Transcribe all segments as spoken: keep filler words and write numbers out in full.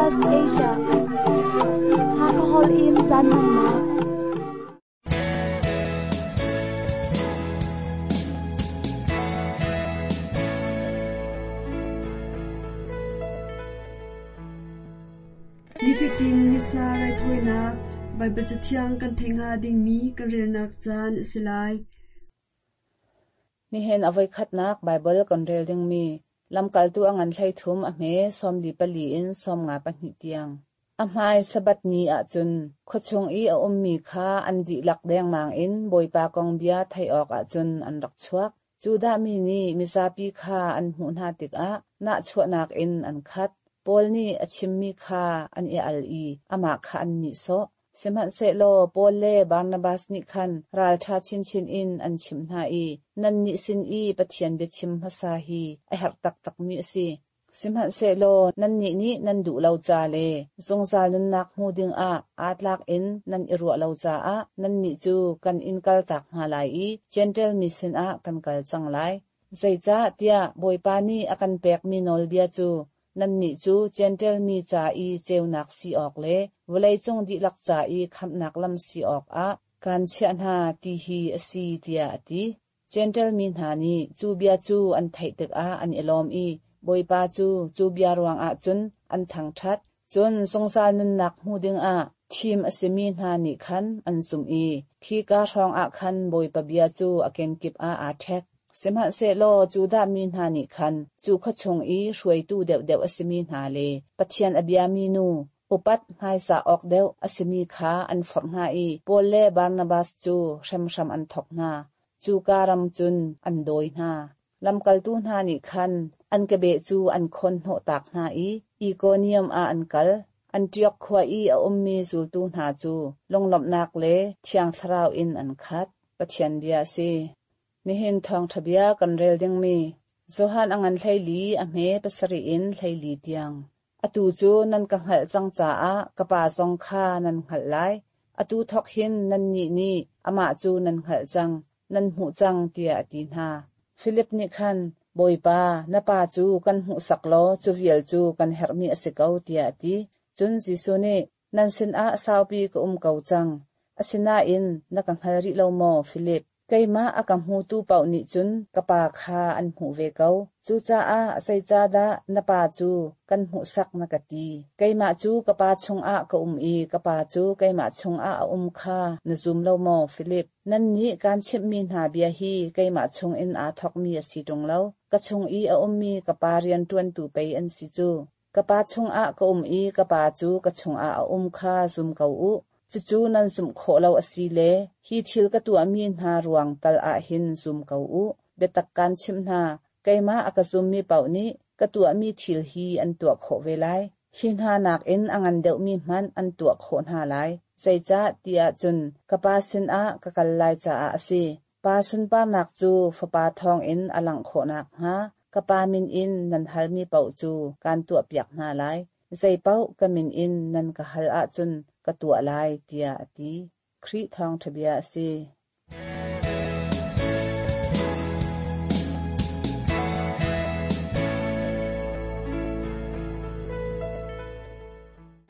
S Asia Hakahol in caan hmannak Nifatin Missa raithawinak Baibal Cathiang kan theih hnga dingmi kan relnak caan a si lai. Nihin a voikhatnak Baibal kan rel dingmi lamkaltu a ngan hlei thum a hme sawmli pali in sawmnga pahnih tiang. A hmai Sabbath ni ahcun khuachung i a ummi kha an dihlak dengmang in Bawipa kong bia theih awk ahcun an rak chuak. Judah mi nih mizapi kha an hmuh hna tikah nahchuahnak in an khat. Paul nih a chimmi kha an i al i amah kha an nihsawh. Sihmanhsehlaw Paul le Barnabas nih khan ralṭha chinchin in an chimh hna i nannih sin i Pathian biachim hmasa hi a herh taktakmi a si. Sihmanhsehlaw nannih nih nan duh lo ca le zungzal nunnak hmu dingah aa tlak in nan i ruah lo caah nannih cu kan in kaltak hna lai i Jentail mi sinah kan kal cang lai. Zeicah tiah Bawipa nih a kan pekmi nawlbia cu nannih cu Jentail mi ca i ceunak si awk le vawleicung dihlak ca i khamhnak lam si awkah kan chiah hna ti hi a si tiah a ti. Jentail mi hna nih cu bia cu an theih tikah an i lawm i Bawipa cu cu bia ruangah cun an thangṭhat. Cun zungzal nunnak hmu dingah thim a simi hna nih khan an zumh i khika hrawngah khan Bawipa bia cu a kenkip ah aa ṭhek. Sihmanhsehlaw Judah mi hna nih khan cu khuachung i hruaitu deuhdeuh a simi hna le Pathian a biami nu upat hmaisa awk deuh a simi kha an forh hna i Paul le Barnabas cu hremhram an thok hna. Cuka ram cun an dawi hna. Lamkaltu hna nih khan an kebeh cu an khawn hnawh tak hna i Ikonium ah an kal. Antioch khua i a ummi zultu hna cu lunglawmhnak le Thiang Thlarau in an khat. Pathian bia a si. Nihin thawngṭha bia kan rel dingmi Johan a ngan hleili a hme pasarih in hleili tiang. Atu cu nan ka hngalh cang caah ka pa zong kha nan hngalh lai. Atu thawk hin nannih nih amah cu nan hngalh cang, nan hmuh cang tiah a ti hna. Filip nih khan, Bawipa, na pa cu kan hmuhsak law cu vial cu kan herhmi a si ko tiah a ti. Cun Jesuh nih, nan sinah saupi ka um ko cang. Asinain na ka hngal rih lo maw, Filip? Keimah a ka hmutu paoh nih cun ka pa kha an hmuh ve ko. Cucaah zeicahdah na pa cu kan hmuhsak na ka ti? Keimah cu ka pa chungah ka um i ka pa cu keimah chungah a um kha na zum lo maw, Filip? Nannih kaan chimhmi hna bia hi keimah chungin aa thawkmi a si ṭung lo. Ka chung i a ummi ka pa rianṭuantu pei an si cu. Ka pa chungah ka um i ka pa cu ka chungah a um kha zum ko u. Cucu nan zumh khawh lo a si le hi thil ka tuahmi hna ruang tal ah hin zum ko u. Biatak kaan chimh hna, keimah a ka zummi paoh nih ka tuahmi thil hi an tuah khawh ve lai. Hi hna nakin a ngan deuhmi hmanh an tuah khawh hna lai. Zeicah tiah cun ka pa sinah ka kal lai caah a si. Pa sunparnak cu Fapa thawngin a langh khawh nakhnga ka pa min in nan halmi paoh cu kaan tuahpiak hna lai. Zeipaoh ka min in nan ka hal ahcun ka tuah lai tiah a ti. Khrih thawngṭha bia a si.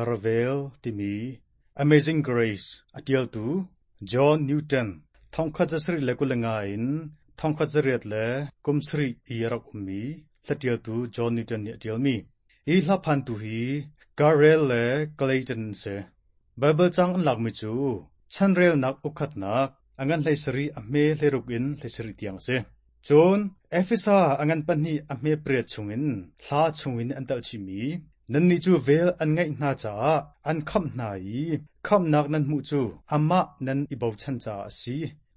Ravel timi Amazing Grace a ṭialtu John Newton thongkhat zasarih le kul le nga in thongkhat zariat le kum sarih i a rak ummi hlaṭialtu John Newton nih a ṭialmi. Hi hlaphantu hi Garrel le Clayton an si. Baibal caang an lakmi cu chanrelnak ukhatnak a ngan hlei sarih a hme hleiruk in hlei sarih tiang a si. Cun Efesa a ngan pahnih a hme pariat chungin hla chungin an telh chihmi nannih cu vel an ngeih hna caah an khamh hna i khamhnak nan hmuh cu amah nan i bochan caah a si.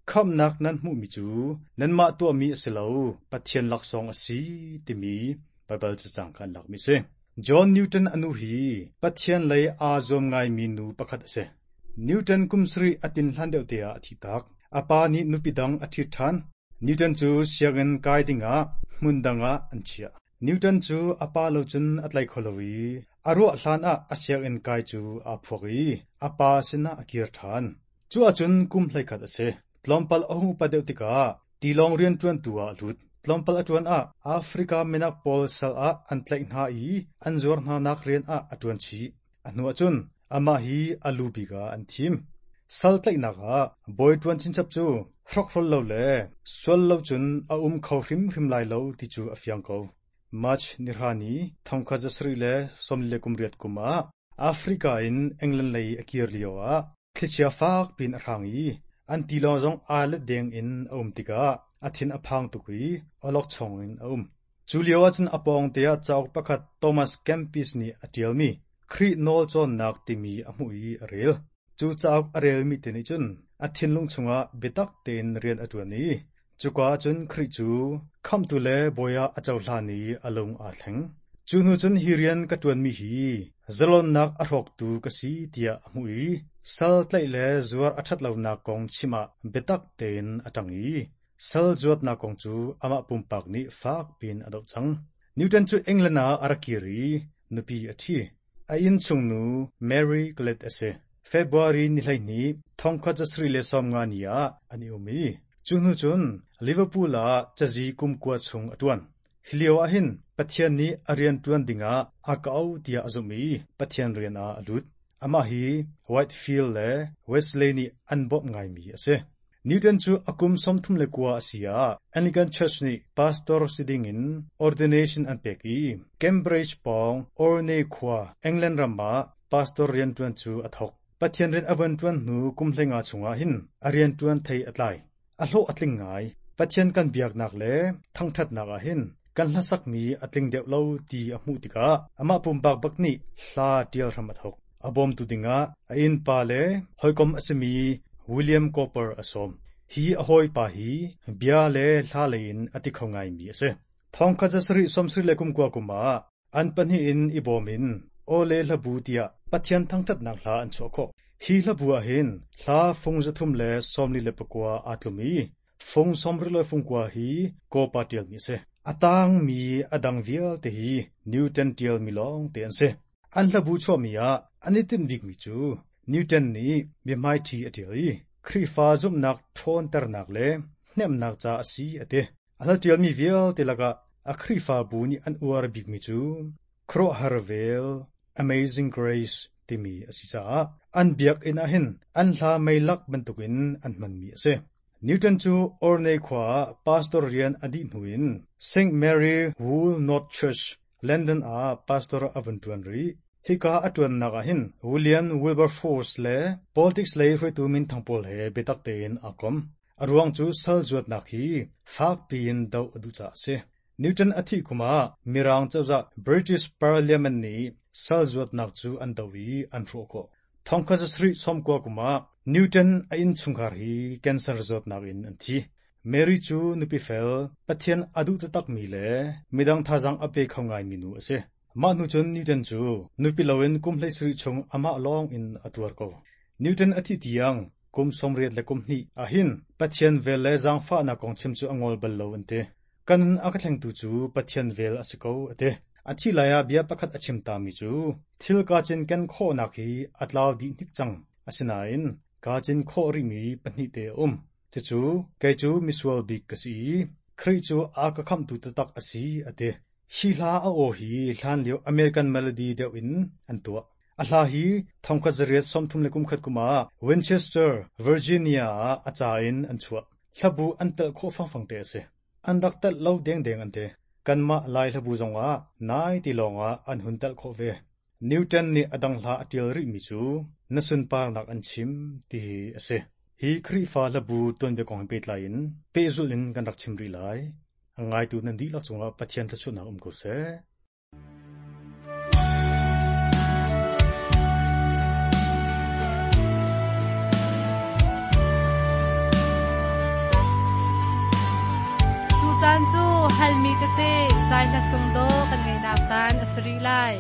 Khamhnak nan hmuhmi cu nanmah tuahmi a si lo, Pathian laksawng a si timi Baibal cacang kha an lakmi a si. John Newton a nu hi Pathian lei aa zuam ngaimi nu pakhat a si. Newton kum sarih a tin hlan deuh te ah a thi tak. A pa nih nupi dang a ṭhit ṭhan. Newton cu sianginn kai dingah hmun dang ah an chiah. Newton cu a pa lo cun a tlai kho lo i a ruah hlan ah a sianginn kai cu aa phuak i a pa sinah a kir ṭhan. Cu ahcun kum hleikhat a si. Tlawmpal a hung upat deuh tikah tilawng rianṭuantu ah a lut. Tlawmpal a ṭuan ah Africa minak pawl sal ah an tlaih hna i an zuar hnanak rian ah a ṭuan chih. A hnu ahcun amah hi a lu bik ah an thim. Sal tlaihnak ah bawi ṭuan chinchap cu hrokhrol lo le sual lo cun a um kho hrimhrim lai lo ti cu a fiang ko. March nihra ni thongkhat zasarih le sawmli le kum riat kum ah Africa in England lei a kir lio ah thlichia fak pin a hrang i an tilawng zong aa let deng in a um tikah a thin a phang tuk i awlokchong in a um. Cu lio ahcun a pawng te ah cauk pakhat Thomas Kempis nih a ṭialmi Khrih nawl cawnnak timi a hmuh i a rel. Cu cauk a relmi te nih cun a thinlung chungah biatak tein rian a ṭuan i cuka ahcun Khrih cu khamhtu le bawi ah a cohlan i a lung aa thleng. Cu hnu cun hi rian ka ṭuanmi hi zalonnak a hrawktu ka si tiah a hmuh i sal tlaih le zuar a ṭhatlonak kong chim ah biatak tein a ṭang i sal zuatnak kong cu amah pumpak nih fak piin a doh cang. Newton cu England ah a rak kir i nupi a ṭhi. A innchungnu Mary Glad a si. February ni hleihnih thongkhat zasarih le sawmnga ni ah an i um i cu hnu cun Liverpool ah cazi kum kua chung a ṭuan. Hi lio ah hin Pathian nih a rian ṭuan dingah a ka auh tiah a zumh i Pathian rian ah a lut. Amah hi Whitefield le Wesley nih an bawmh ngaimi a si. Newton cu a kum sawmthum le kua a si ah Anglican Church nih pastor si dingin ordination an pek i Cambridge pawng Orne khua England ram ah pastor rianṭuan cu a thawk. Pathian rian a van ṭuan hnu kum hleinga chungah hin a rianṭuan thei a tlai. A hlawh a tling ngai. Pathian kan biaknak le thangṭhatnak ah hin kan hlasakmi a tling deuh lo ti a hmuh tikah amah pumpak bak nih hla ṭial hram a thawk. A bawmtu dingah a innpa le hawikom a simi William Cowper a sawm. Hi a hawipa hi bia le hla lei in a ti kho ngaimi a si. Thongkhat zasarih sawmsarih le kum kua kum ah an pahnih in i bawm in aw le hlabu tiah Pathian thangṭhatnak hla an chuah khawh. Hi hlabu ah hin hla fung zathum le sawmli le pakua aa tlum i fung sawmrih le fung kua hi Cowper ṭialmi a si. A tangmi a dang vialte hi Newton ṭialmi lawng te an si. An hlabu chuahmi ah an i tinh bikmi cu Newton nih biahmaiṭhi a ṭial i Khrihfa zumhnak ṭhawnternak le hnemhnak ca a si a ti. A hla ṭialmi vialte lakah a Khrihfabu nih an uar bikmi cu Khuaruahhar vel Amazing Grace timi a si caah an biakinn ah hin an hla meilak bantukin an hmanmi a si. Newton cu Orne khua ah pastor rian a dih hnu in Saint Mary Woolnoth Church, London ah pastor a vun ṭuan rih. Hika a ṭuannak ah hin William Wilberforce le politics lei hruaitu minthang pawl he biatak tein aa kom. A ruang cu sal zuatnak hi fak piin doh a duh caah a si. Newton a thih kum ah Mirang cozah British Parliament nih sal zuatnak cu an doh i an hrawh khawh. Thongkhat zasarih sawmkua kum ah Newton a innchungkhar hi cancer zawtnak in an thi. Mary cu nupi fel, Pathian a duh taktakmi le midang thazaang a pe kho ngaimi nu a si. Mah hnu cun Newton cu nupi loin kum hleisarih chung amah lawng in a tuar ko. Newton a thih tiang kum sawmriat le kum hnih ah hin Pathian vel le zaangfahnak kong chim cu a ngol bal lo an ti. Ka nun a ka thlengtu cu Pathian vel a si ko a ti. A thih lai ah bia pakhat a chim tami cu thil kaa cinken khawhnak hi a tlau dih hnik cang. Asinain kaa cin khawh rihmi pahnih te a um. Cucu kei cu misual bik ka si i Khrih cu a ka khamhtu taktak a si a ti. Hi hla a aw hi hlanlio American melody deuh in an tuah. A hla hi thongkhat zariat sawmthum le kumkhat kum ah Winchester, Virginia ah a ca in an chuah. Hlabu an telh khawh fangfang te a si. An rak telh lo dengdeng an ti. Kanmah Lai hlabu zongah nai ti lawngah an hun telh khawh ve. Newton nih a dang hla a ṭial rihmi cu na sunparnak an chim ti hi a si. Hi Khrihfa hlabu tuanbia kong he pehtlai in pehzulh in kan rak chim rih lai. A ngaitu nan dihlak cungah Pathian thluachuahnak um ko seh. Tucaan cu halmi tete zai hla sung dawh kan ngeihnak caan a si rih lai.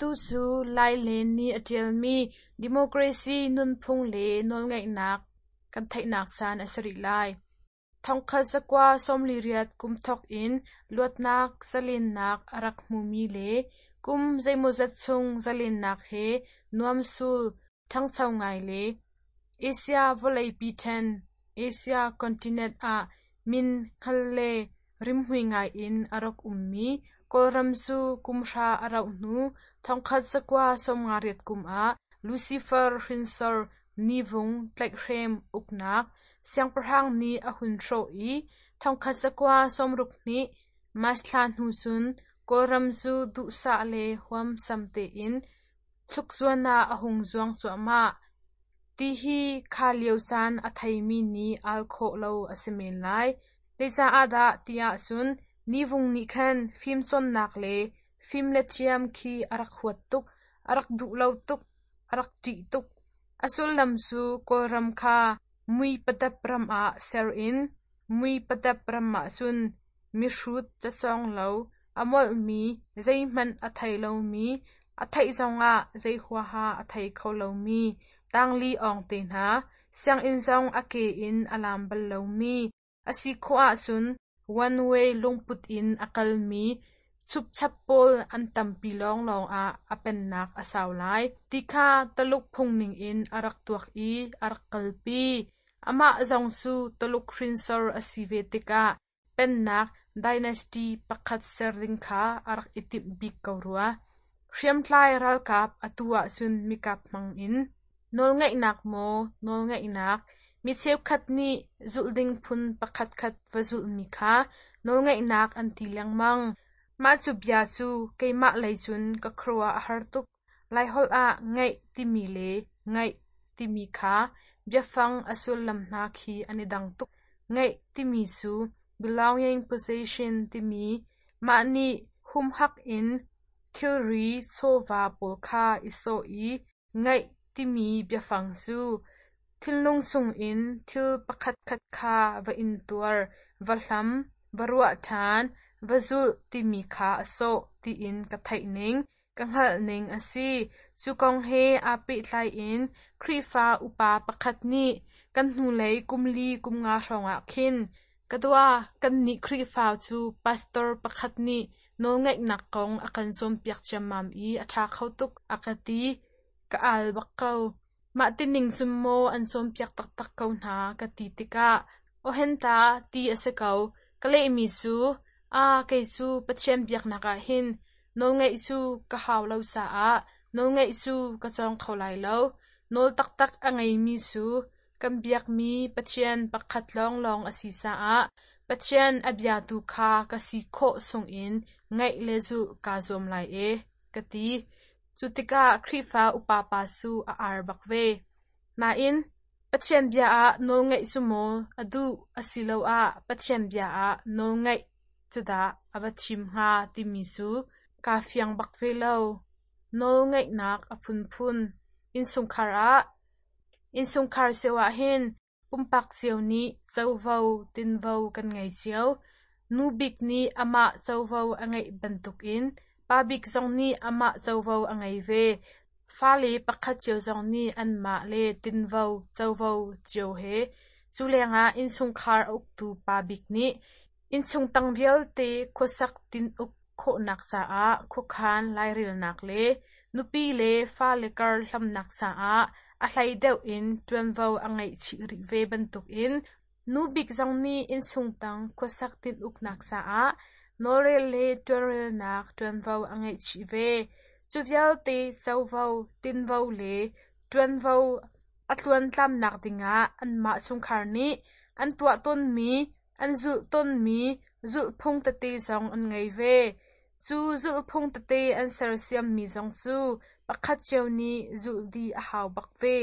Atu cu Lailen nih a ṭialmi Democracy nunphung le nawlngeihnak kan theihnak caan a si rih lai. Thongkhat zakua sawmli riat kum thawk in luatnak zalennak a rak hmumi le kum zeimawzat chung zalennak he nuamsul ṭhangcho ngai le Asia vawleipi ṭhen Asia continent ah min hngal le rimhmui ngai in a rak ummi Kawlram cu kum hra a rauh hnu thongkhat zakua sawmnga riat kum ah Lucifer hrinsor Nivung tlaihhrem uknak siangpahrang nih a hun hrawh i thongkhat zakua sawmruk hnih March thla hnu cun Kawlram cu duhsah le huamsam tein chukzuan ah a hung zuang cuahmah. Ti hi kha lio caan a theimi nih al khawh lo a si men lai. Zeicaah dah ti ahcun Nivung nih khan fimcawnnak le fim le thiam khi a rak huat tuk, a rak duh lo tuk, a rak ṭih tuk. A sullam cu Kawlram kha mui padap ram ah ser in mui padap ram ahcun mihrut cacawng lo, a molhmi, zeihmanh a thei lomi, a theih zongah zei huaha a thei kho lomi, tangli awng te hna, sianginn zong a ke in a lam bal lomi, a si khawh ahcun one way lungput in a kalmi chupchap pawl an tampi lawnglawng ah a pennak a sau lai ti kha Taluk phung ningin a rak tuak i a rak kalpi. Amah zong cu Taluk hrinsor a si ve tikah pennak dynasty pakhat ser ding kha a rak i timh bik ko rua. Hriamtlai ralkap atu ahcun mikap hmang in nawlngeihnak maw nawlngeihnak mi cheukhat nih zulh ding phun pakhatkhat va zulhmi kha nawlngeihnak an ti lengmang. Mah cu bia cu keimah lei cun ka khuaruah a har tuk. Laiholh ah ngeih timi le ngaih timi kha biafang a sullam hna khi an i dang tuk. Ngeih timi cu belonging possession timi mah nih humhak in thilri chawva pawl kha i sawh i ngaih timi biafang cu thinlung chungin thil pakhatkhat kha va intuar, va hlam, va ruah ṭhan, va zulh timi kha a sawh tiin ka theih ning, ka hngalh ning a si. Cu kong he aa pehtlai in Khrihfa upa pakhat nih kan hnulei kum li kum nga hrawngah khin ka dua kannih Khrihfa cu pastor pakhat nih nawlngeihnak kong a kan cawnpiak ciammam i a ṭha kho tuk a ka ti. Ka al bak ko. Mah tining cun maw an cawnpiak taktak ko hna ka ti tikah awhenta ti a si ko. Ka lehmi cu aa kei cu Pathian biaknak ah hin nawlngeih cu ka hau lo caah nawlngeih cu ka cawng kho lai lo. Nawl taktak a ngeimi cu kan biakmi Pathian pakhat lawnglawng a si caah Pathian a biatu kha ka si khawh chungin ngaih le zulh kaa zuam lai e, ka ti. Cu tikah Khrihfa upa pa cu a ar bak ve. Nain Pathian bia ah nawlngeih cu maw a duh asiloah Pathian bia ah nawlngeih cu dah a va thim hnga timi cu kaa fiang bak ve lo. Nawlngeihnak a phunphun. Innchungkhar ah Innchungkhar cio ah hin pumpak cio nih covo tinvo kan ngei cio. Nu bik nih amah covo a ngeih bantukin pa bik zong nih amah covo a ngei ve. Fale pakhat cio zong nih anmah le tinvo covo cio he. Cu lengah innchungkhar a uktu pa bik nih innchung tang vialte khuasak tin-uk khawhnak caah khuakhan lairelnak le nupi le fale kar hlamnak caah a hlei deuh in ṭuanvo a ngeih chih rih ve bantukin nu bik zong nih innchung tang khuasak tin-uknak caah nawlrel le ṭuanrelnak ṭuanvo a ngeih chih ve. Cu vialte covo, tinvo le ṭuanvo a tluantlamnak dingah anmah chungkhar nih an tuah tawnmi, an zulh tawnmi zulhphung tete zong an ngei ve. Cu zulhphung tete an sersiammi zong cu pakhat cio nih zulh dih a hau bak ve.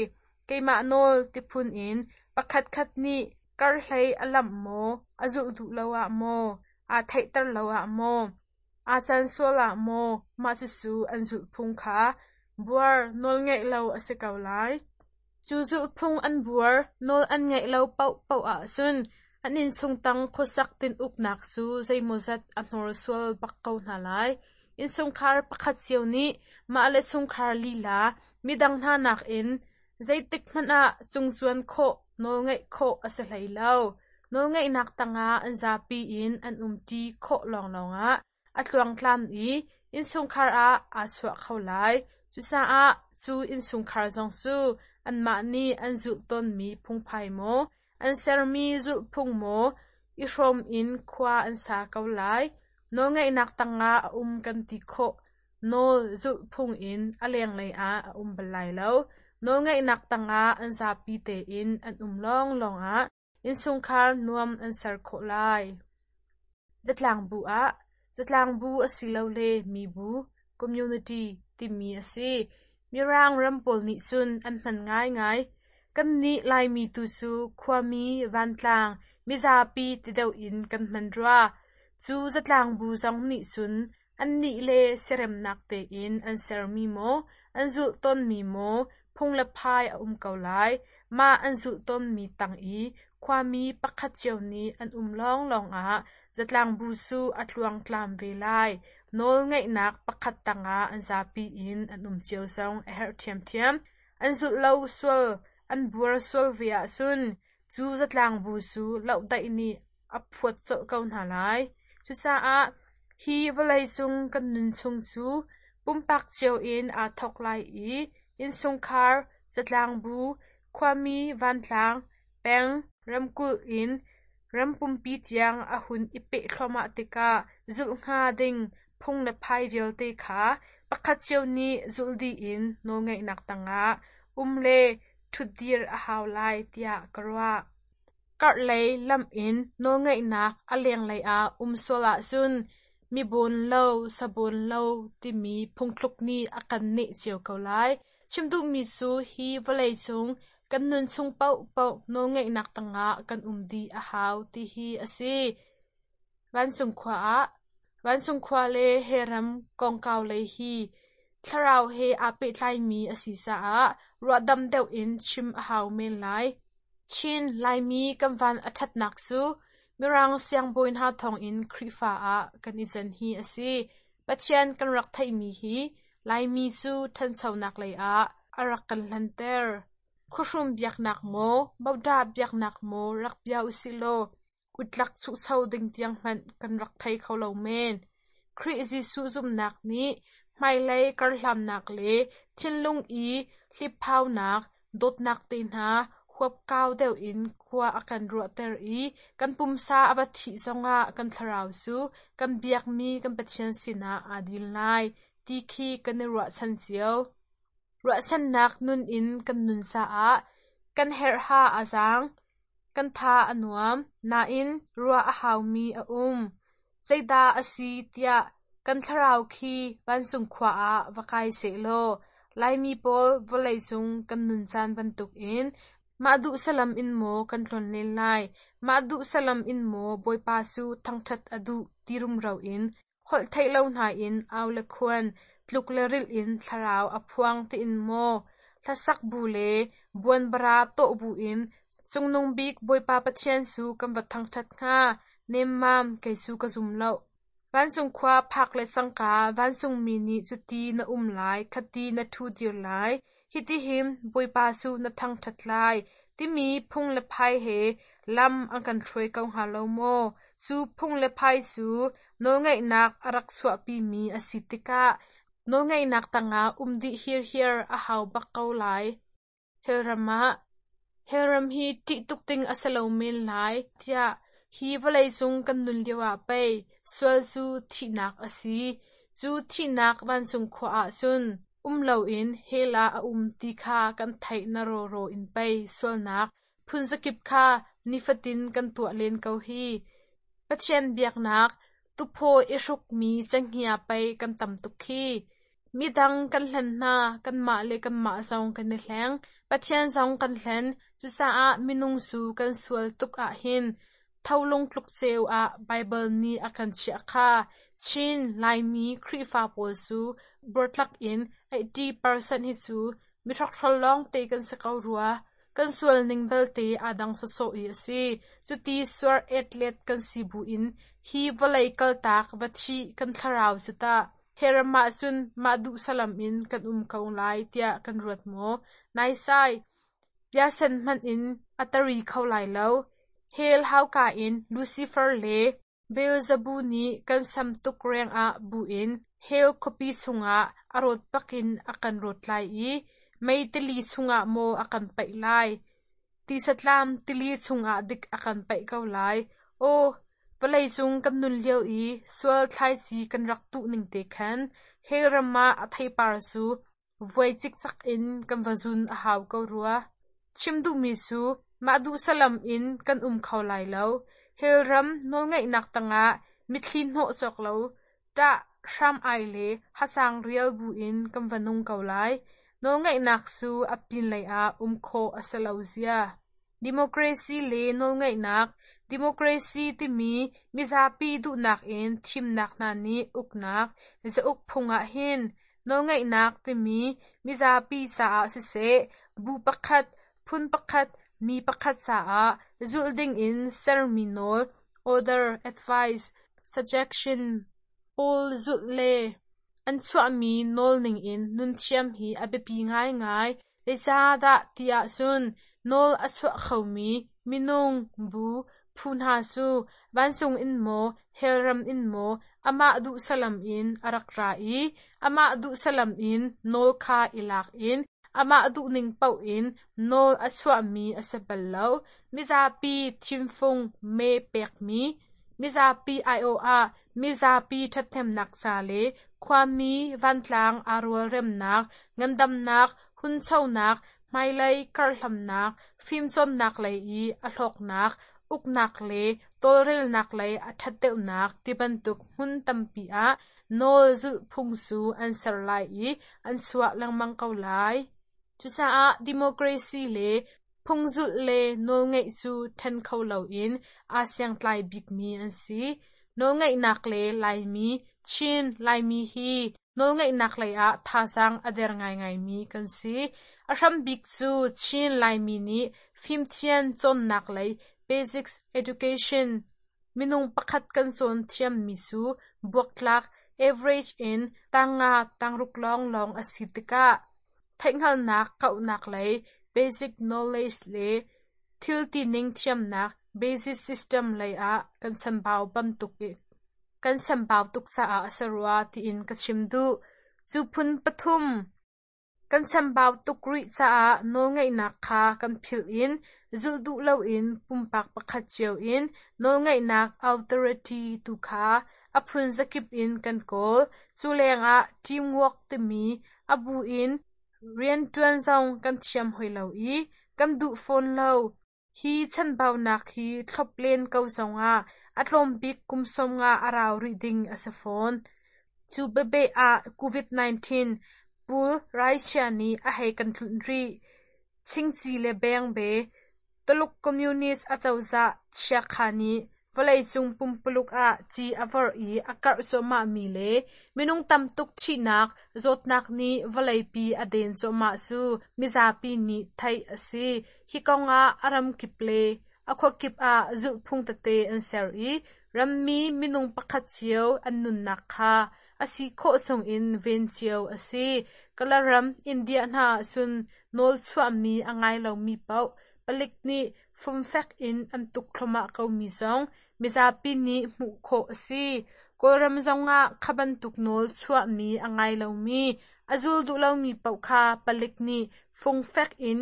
Keimah nawl tiphun in pakhatkhat nih karhlei a lamh maw, a zulh duh lo ah maw, aa theihter lo ah maw, aa can sual ah maw, mah cucu an zulhphung kha buar nawlngeih lo a si ko lai. Cu zulhphung an buar nawl an ngeih lo paohpaoh ahcun an innchung tang khuasak tin-uknak cu zeimawzat a hnorsual bak ko hna lai. Innchungkhar pakhat cio nih mah le chungkhar lila midang hna nakin zeitik hmanh ah cungcuan khawh, nawlngeih khawh a si hlei lo. Nawlngeihnak tangah an zapi in an umṭi khawh lawnglawng ah a tluangtlam i innchungkhar ah aa chuah kho lai. Cucaah cu innchungkhar zong cu anmah nih an zulh tawnmi phungphai maw, an sermi zulhphung maw i hrawm in khua an sa ko lai. Nawlngeihnak tangah a um kan ti khawh. Nawl zulhphung in a lenglei ah a um bal lai lo. Nawlngeihnak tangah an zapi tein an um lawnglawng ah innchungkhar nuam an ser khawh lai. Zatlangbu ah Zatlangbu asilole mibu (community) timi a si. Mirang ram pawl nih cun an hman ngaingai. Kannih Laimi tu cu khuami, vantlang, mizapi ti deuh in kan hman rua. Cu zatlangbu zong nih cun annih le siaremnak tein an sermi maw, an zulh tawnmi maw phung le phai a um ko lai. Mah an zulh tawnmi tang i khuami pakhat cio nih an um lawnglawng ah zatlangbu cu a tluangtlam ve lai. Nawlngeihnak pakhat tangah an zapi in an um cio zong a herh ṭhiamṭhiam. An zulh lo sual, an buar sual ve ahcun cu zatlangbu cu lohdaih nih a phuat colh ko hna lai. Cucaah hi vawleicung kan nun chung cu pumpak cio in aa thawk lai i innchungkhar, zatlangbu, khuami, vantlang, peng, ramkulh in ram pumpi tiang a hun i peh thluahmah tikah zulh hnga ding phung le phai vialte kha pakhat cio nih zulh dih in nawlngeihnak tangah um le ṭhutdir a hau lai tiah ka ruah. Karhlei lam in nawlngeihnak a lenglei ah um sual ahcun mi bawn lo, sa bawn lo timi phungthluk nih a kan neh cio ko lai. Chim duhmi cu hi vawleicung kan nun chung paohpaoh nawlngeihnak tangah kan um dih a hau ti hi a si. Vancung khua ah Vancung khua le he ram kongkau lei hi thlarau he aa pehtlaimi a si caah ruahdam deuh in chim a hau men lai. Chin Laimi kan van a ṭhatnak cu Mirang siangbawi hna thawngin Khrihfa ah kan i can hi a si. Pathian kan rak theihmi hi Laimi cu ṭhanchonak lei ah a rak kan hlanter. Khuahrum biaknak maw, Bodah biaknak maw rak bia usih law utlak chuhcho ding tiang hmanh kan rak thei kho lo men. Khrih Jesuh zumhnak nih hmailei karhlamnak le thinlung i hliphaunak, dawtnak te hna huapkau deuh in khua a kan ruahter i kan pumsa a va thih zongah kan thlarau cu kan biakmi kan Pathian sinah aa dil lai ti khi kan i ruahchan cio. Ruahchannak nun in kan nun caah kan herhha a zaang, kan tha a nuam, nain ruah a haumi a um. Zeidah a si tiah kan thlarau khi vancung khua ah va kai sehlaw Laimi pawl vawleicung kan nun caan bantukin mah duh salam in maw kan tlonlen lai, mah duh salam in maw Bawipa cu thangṭhat a duh ti rumro in holh theih lo hna in au le khuan, tluk le rilh in thlarau a phuang tiin maw hlasak bu le buanbara tawh bu in Cungnung bik Bawipa Pathian cu kan va thangṭhat hnga, nemmam kei cu ka zum lo. Vancung khua phak le cangka vancungmi nih cuti na um lai, khati na ṭhudir lai, hitihin Bawipa cu na thangṭhat lai, timi phung le phai he lam an kan hruai ko hnga lo maw? Cu phung le phai cu nawlngeihnak a rak chuahpimi a si tikah nawlngeihnak tangah um dih hirhiar a hau bak ko lai. Hellram ah Hellram hi ṭih tuk ding a si lo men lai tiah hi vawleicung kan nun lioah pei sual cu thihnak a si. Cu thihnak vancung khua ah cun um loin hell ah a um ti kha kan theih na rawraw in pei sualnak phunzakip kha nifatin kan tuah len ko hi. Pathian biaknak tuphaw i hrukmi cenghngia pei kan tam tuk khi. Midang kan hlen hna, kanmah le kanmah zong kan i hleng. Pathian zong kan hlen. Cucaah minung cu kan sual tuk ahhin tholung tluk ceu ah Baibal nih a kan chiah kha. Chin Laimi Khrihfa pawl cu buartlak in eighty percent hi cu mihrokhrol lawngte kan si ko rua. Kan sual ning belte aa dang sawsawh i a si. Cuti suar etlet kan si buin hi vawlei kaltak va thih kan thlarau cu tah. Hell ram ahcun mah duh salam in kan um ko lai tiah kan ruat maw? Naisai! Piasen hmanh in a tari kho lai lo. Hell hauka in Lucifer le Beelzebub nih kan sam tuk rengah buin Hell khuapi chungah a rawt bakin a kan rawt lai i mei tili chungah maw a kan paih lai? Tisatlam tili chungah dik a kan paih ko lai. Aw, vawleicung kan nun lio i sual thlaici kan rak tuh ning te khan Hell ram ah a theipar cu vuai cikcek in kan va zun a hau ko rua. Chim duhmi cu mah duh salam in kan um kho lai lo. Hell ram nawlngeihnak tangah mitthli hnawh cawk lo, ṭah hram ai le hacang rial buin kan va nung ko lai. Nawlngeihnak cu a pinlei ah um khawh a si lo zia. Democracy le nawlngeihnak. Democracy timi mizapi duhnak in thimnak hna nih uknak, zauk phung ah hin nawlngeihnak timi mizapi caah siseh, bu pakhat, phun pakhat, mi pakhat caah zulh dingin sermi nawl, order, advice, suggestion pawl zulh le an chuahmi nawl ningin nun thiam hi a biapi ngaingai. Zeicahdah ti ahcun nawl a chuah khomi minung, bu, phu hna cu vancung in maw, hell ram in maw amah duh salam in a rak ra i amah duh salam in nawl kha i lak in amah duhning paoh in nawl a chuahmi a si bal lo. Mizapi thimfung mee pekmi, mizapi aiawh ah mizapi ṭhathnemnak ca le khuami vantlang aa rualremnak, ngandamnak, hunchonak, hmailei karhlamnak, fimcawnnak lei i a hlawknak, uknak le tawlrelnak lei a ṭhat deuhnak tibantuk hmun tampi ah nawl zulhphung cu an ser lai i an chuah lengmang ko lai. Cucaah democracy le phungzulh le nawlngeih cu ṭhen kho loin aa siangtlai bikmi an si. Nawlngeihnak le Laimi, Chin Laimi hi nawlngeihnak lei ah thazaang a der ngaingaimi kan si. A hrambik cu Chin Laimi nih fimthiam cawnnak lei basic education minung pakhat kan cawn thiammi cu buaktlak average in tangnga tangruk lawnglawng a si tikah theihhngalhnak kauhnak lei basic knowledge le thil tining thiamnak basic system lei ah kan chambau bantuk kan chambau tuk caah a si rua tiin ka chim duh. Cu phun pathum kan chambau tuk rih caah nawlngeihnak kha kan philh in zulh duh loin pumpak pakhat cio in nawlngeihnak authority tu kha a phun zakip in kan kawl. Cu lengah teamwork timi a bu in rianṭuan zong kan thiam hoi lo i kan duh fawn lo. Hi chanbaunak hi thlop len ko zongah a tlawm bik kum sawmnga a rau rih ding a si fawn. Cu bebe ah COVID nineteen pul raichia nih a hei kan tlunh rih. Chingchi le bengbe Tuluk Communist acozah chiakha nih vawleicung pumpuluk ah ci a vorh i a karh cuahmahmi le minung tam tuk thihnak zawtnak nih vawleipi a den cuahmah cu mizapi nih theih a si. Hi kongah a ramkip le a khuakip ah zulhphung tete an ser i rammi minung pakhat cio an nunnak kha a si khawh chungin ven cio a si. Kalaram India hna ahcun nawl chuahmi a ngai lomi paoh palik nih fumfek in an tuk thluahmah komi zong mizapi nih hmuh khawh a si. Kawlram zongah kha bantuk nawl chuahmi a ngai lomi, a zul duh lomi paoh kha palik nih fungfek in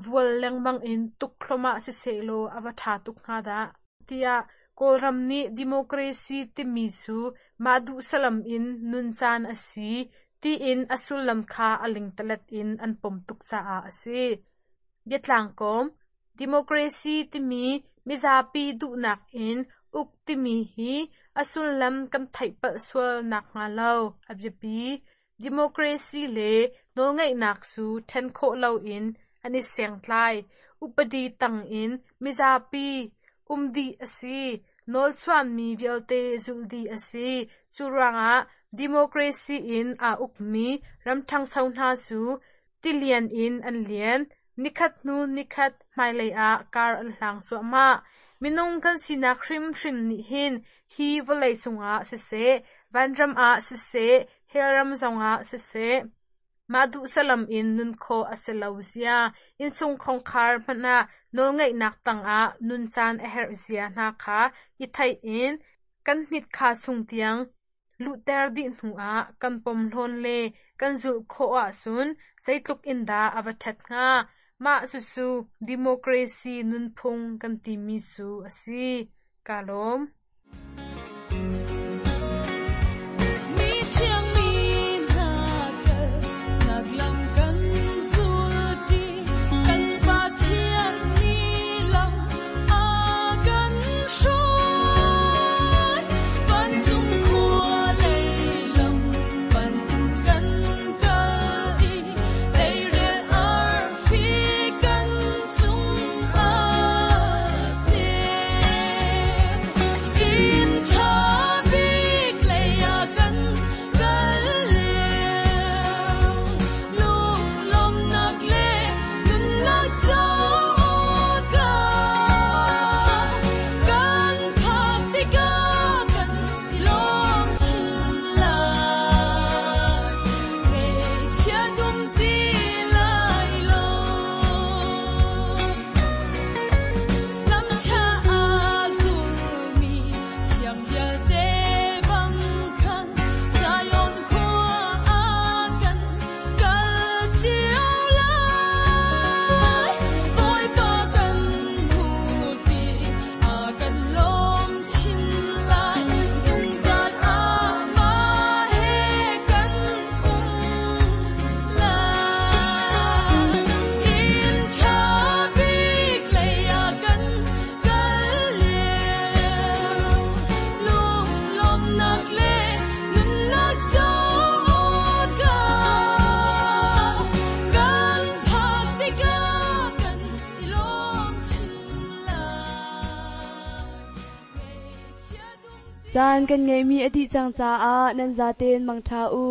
vual lengmang in tuk thluahmah sisehlaw a va ṭha tuk hnga dah. Tiah Kawlram nih democracy timi cu mah duh salam in nun caan a si tiin a sullam kha a lingtalet in an pom tuk caah a si. Biatlang kawm democracy timi mizapi duhnak in uk timi hi a sullam kan theih palh sual nakhnga lo a biapi. Democracy le nawlngeihnak cu ṭhen khawh loin an i sengtlai. Upadi tangin mizapi um dih a si. Nawlchuahmi vialte zulh dih a si. Cu ruangah democracy in aa ukmi ram ṭhangcho hna cu tilian in an lian. Nikhat hnu nikhat hmailei ah kar an hlang cuahmah. Minung kan sinak hrimhrim nih hin hi vawlei cungah siseh, Vanram ah siseh, hellram zongah siseh, mah duh salam in nun khawh a si lo zia, innchung khongkhar hmanh ah nawlngeihnak tangah nun caan a herh zia hna kha i theih in kan hnitkha chung tiang luhter dih hnuah kan pomhlawn le kan zulh khawh ahcun zeitluk in dah a va ṭhat hnga. Mah cucu democracy nunphung kan timi cu a si. Kaa lawm. Mi thiang mi hna kal nak lam kan zulṭi, kan Pathian nih lam a kan hruai. Vancung khua lei lam panh in kan kal i teirel arfi kan cung ah ceu. Inn ṭha bik lei ah kan kal lio, lunglawmhnak le nunnak co awkah kan phak tikah kan i lawm chin lai. Ngaihchiat um ti lai lo. Lam ṭha a zulmi thiang vialte bang khan Zion khua ah kan kal cio lai. Bawipa kan hmu ti a kan lawm chin lai. Zungzal amah he kan um lai. Inn ṭha bik lei ah kan kal lio, lunglawmhnak le nunnak co awkah kan phak tikah kan i lawm chin lai. Ngaihchiat um ti Caan kan ngeihmi a dih cang caah nan zaten mangṭha u.